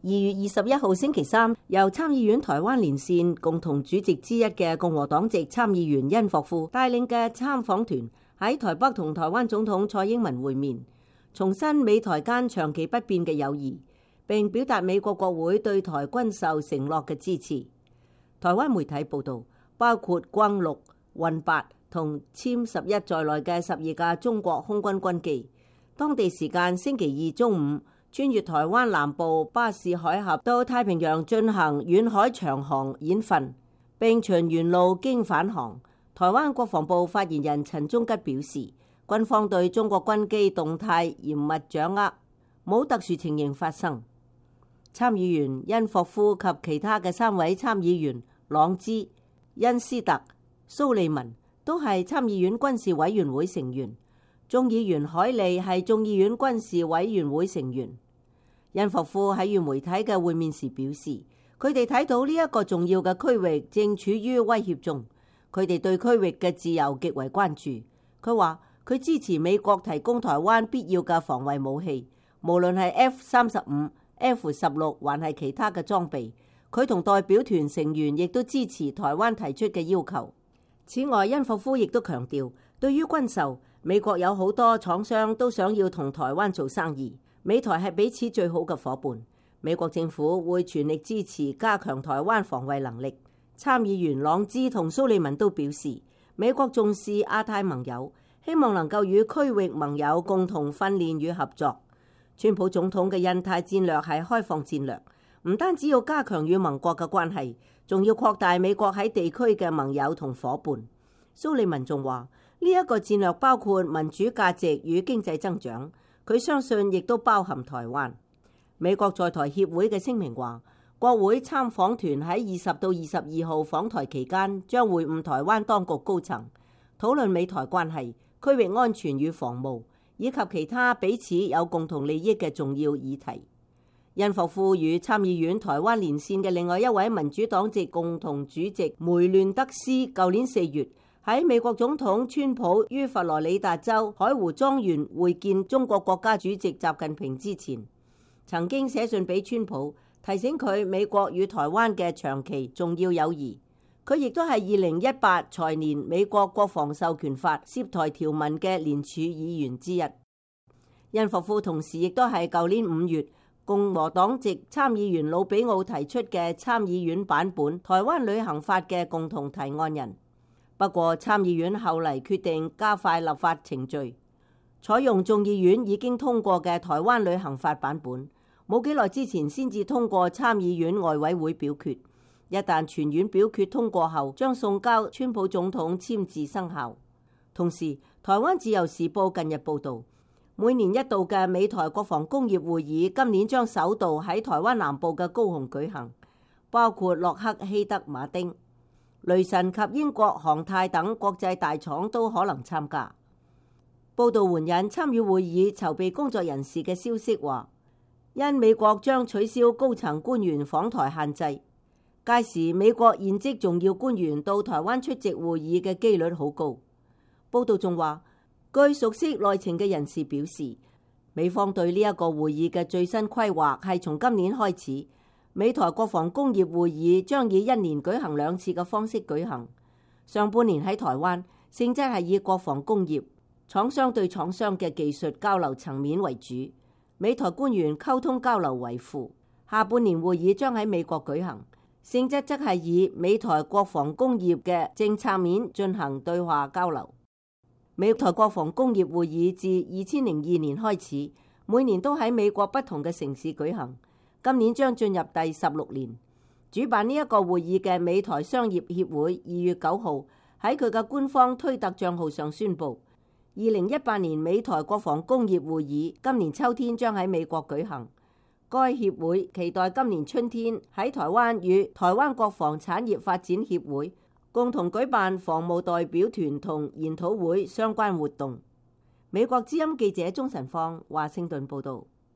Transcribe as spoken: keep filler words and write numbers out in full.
二月二十一號星期三，由參議院台灣連線共同主席之一嘅共和黨籍參議員殷霍夫帶領嘅參訪團喺台北同台灣總統蔡英文會面，重申美台間長期不變嘅友誼，並表達美國國會對台軍售承諾嘅支持。台灣媒體報道，包括轟六、運八同殲十一在內嘅十二架中國空軍軍機，當地時間星期二中午穿越台灣南部巴士海峽到太平洋進行遠海長航演訓，並循沿路經返航。台灣國防部發言人陳忠吉表示，軍方對中國軍機動態嚴密掌握，冇特殊情形發生。參議員殷霍夫及其他嘅三位參議員朗茲、恩斯特、蘇利文都係參議院軍事委員會成員，眾議員海利係眾議院軍事委員會成員。殷霍夫喺與媒體嘅會面時表示，佢哋睇到呢一個重要嘅區域正處於威脅中，佢哋對區域嘅自由極為關注。佢話佢支持美國提供台灣必要嘅防衛武器，無論係 F 三十五、F 十六還係其他嘅裝備。佢同代表團成員亦都支持台灣提出嘅要求。此外，殷霍夫亦都強調，對於軍售，美國有好多廠商都想要同台灣做生意。美台係彼此最好嘅夥伴，美國政府會全力支持加強台灣防衛能力。參議員朗茲同蘇利文都表示，美國重視亞太盟友，希望能夠與區域盟友共同訓練與合作。川普總統嘅印太戰略係開放戰略，唔單止要加強與盟國嘅關係，仲要擴大美國喺地區嘅盟友同夥伴。蘇利文仲話，呢一個戰略包括民主價值與經濟增長。佢相信亦都包含台灣。美國在台協會嘅聲明話，國會參訪團喺二十到二十二號訪台期間，將會晤台灣當局高層，討論美台關係、區域安全與防務，以及其他彼此有共同利益嘅重要議題。殷霍夫與參議院台灣連線嘅另外一位民主黨籍共同主席梅亂德斯，舊年四月喺美國總統川普於佛羅里達州海湖莊園會見中國國家主席習近平之前，曾經寫信俾川普，提醒佢美國與台灣嘅長期重要友誼。佢亦都係二零一八財年美國國防授權法涉台條文嘅聯署議員之一。殷霍夫同時亦都係舊年五月共和黨籍參議員魯比奧提出嘅參議院版本台灣旅行法嘅共同提案人。不過參議院後嚟決定加快立法程序，採用眾議院已經通過嘅台灣旅行法版本，冇幾耐之前先至通過參議院外委會表決。一旦全院表決通過後，將送交川普總統簽字生效。同時，台灣自由時報近日報道，每年一度嘅美台國防工業會議今年將首度喺台灣南部嘅高雄舉行，包括洛克希德馬丁、雷神及英國航太等國際大廠都可能參加。報道援引參與會議籌備工作人士嘅消息話，因美國將取消高層官員訪台限制，屆時美國現職重要官員到台灣出席會議嘅機率好高。報道仲話，據熟悉內情嘅人士表示，美方對呢一個會議嘅最新規劃係從今年開始，美台國防工業會議將以一年舉行兩次嘅方式舉行。上半年喺台灣，性質係以國防工業廠商對廠商嘅技術交流層面為主，美台官員溝通交流為輔。下半年會議將喺美國舉行，性質則係以美台國防工業嘅政策面進行對話交流。美台國防工業會議自二千零二年開始，每年都喺美國不同嘅城市舉行。今年將進入第十六年。主辦呢一個會議嘅美台商業協會二月九號喺佢嘅官方推特賬號上宣布，二零一八年美台國防工業會議今年秋天將喺美國舉行。該協會期待今年春天喺台灣與台灣國防產業發展協會共同舉辦防務代表團同研討會相關活動。美國之音記者鍾晨芳華盛頓報道。